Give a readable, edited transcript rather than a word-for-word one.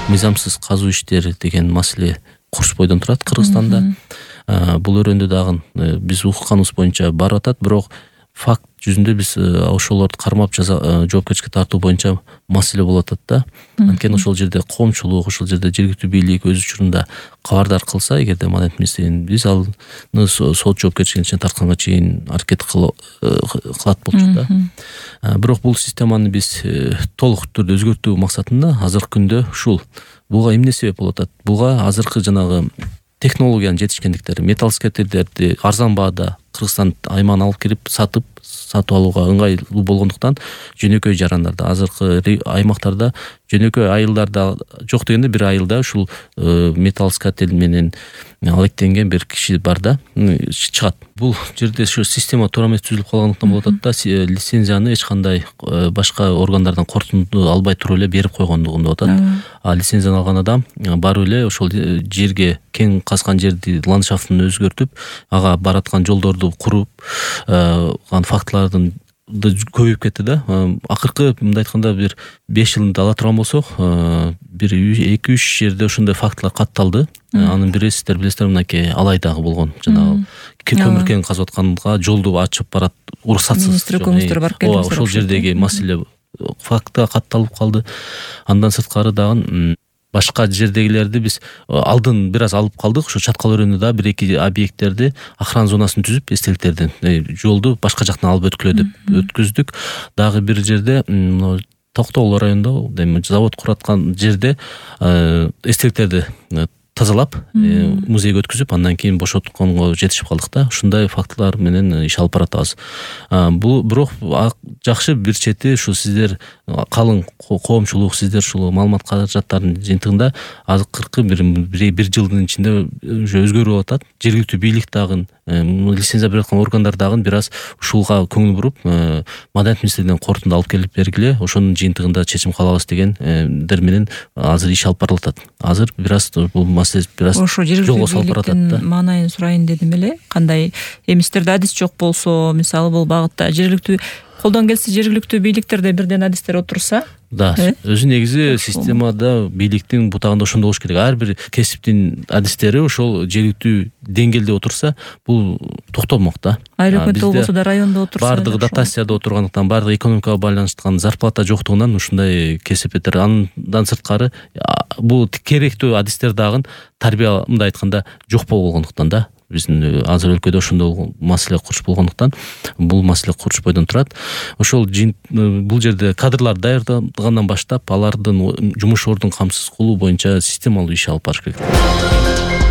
мыйзамсыз казуу иштери деген маселе Курчпойдон турат Кыргызстанда. Бул өрөөндө дагы биз укканыбыз боюнча барып атат, бирок факт жүзүндө биз ошолорду кармап жоопкерчиликке тартуу боюнча маселе болуп атат да. Анткени ошол жерде коомчулук, ошол жерде жергиликтүү бийлик өз учурунда кабардар кылса, эгерде Маданият министрлигин, биз ал сот жоопкерчилигине тартканга чейин аракет кылат болчук да. Бирок бул системаны биз толук түрдө өзгөртүү максатында азыркы күндө ушул буга эмне себеп болуп атат? Буга азыркы жанагы технологиянын жетишкендиктери, металл скатердерди арзан баада Кыргызстан аймагына алып кирип сатып алууга ыңгайлуу болгондуктан жөнөкөй жарандарда, азыркы аймактарда жөнөкөй айылдарда жок дегенде бир айылда ушул металл скатер менен алектенген бир киши бар да, чыгат. Бул жерде ошо система туура эмес түзүлүп калгандыктан болуп атат да, лицензияны эч кандай башка органдардан корутунду албай туруп эле берип койгондугунда атат. А лицензияны алган адам барып эле ошол жерге, кең казган жерди ландшафтын өзгөртүп, ага бараткан жолдорду куруп, фактылардын көбөйүп кетти да. Акыркы мындай айтканда бир 5 жылда ала турган болсок, бир 2-3 жерде ошондой фактылар катталды. Анын бири сиздер билесиздер, мынакей Алайдагы болгон жанагы көмүркен казып атканга жолду ачып барат уруксатсыз. Министр өкүмүздөр барып келди. Ошол жердеги маселе факта катталып калды. Андан сырткары дагы башка жердегилерди биз алдын бир аз алып калдык. Ошо Чаткал өрөөнүндө да 1-2 объекттерди охрана зонасын түзүп, эстеликтердин жолду башка жактан алып өткүлө деп өткүздүк. Дагы бир жерде Токтогул районунда завод кураткан жерде эстеликтерди тазалап, музейге өткүзүп, андан кийин бошотконго жетишип калдык да. Ушундай фактылар менен иш алып баратабыз. Бул бирок жакшы бир чети ушу сиздер калың коомчулук, сиздер ушул маалымат каражаттарынын жыйынтыгында азыркы бир жылдын ичинде уже өзгөрүп атат. Жергиликтүү бийлик дагы, лицензия берип аткан органдар дагы бир аз ушулга көңүл буруп, Маданият министрлигинен корутунду алып келип бергиле, ошонун жыйынтыгында чечим калабыз дегендер менен азыр иш алып барылып атат. Азыр бир аз бул маселе бир аз жолго салып баратат да. Маанайын сурайын дедим эле. Кандай эмистерде адис жок болсо, мисалы бул багытта жергиликтүү колдон келсе, жергиликтүү бийликтерде бирден адистер отурса, да, өзү негизи системада бийликтин бутагында ошондой болуш керек. Ар бир кесиптин адистери ошол жергиликтүү деңгээлде отурса, бул токтомок да. Айыл өкмөттө болбосо да райондо отурса, бардыгы дотацияда отургандыктан, бардыгы экономикага байланыштырган зарплата жоктугунан ушундай кесиптер. Андан сырткары бул керектүү адистер дагы тарбия, мындай айтканда, жок болгондуктан да. Биздин азыр өлкөдө ошондой маселе курч болгондуктан бул маселе Курчпойдон турат. Ошол бул жерде кадрлар даярдангандан баштап алардын жумуш ордун камсыз кылуу боюнча системалуу иш алып барыш керек.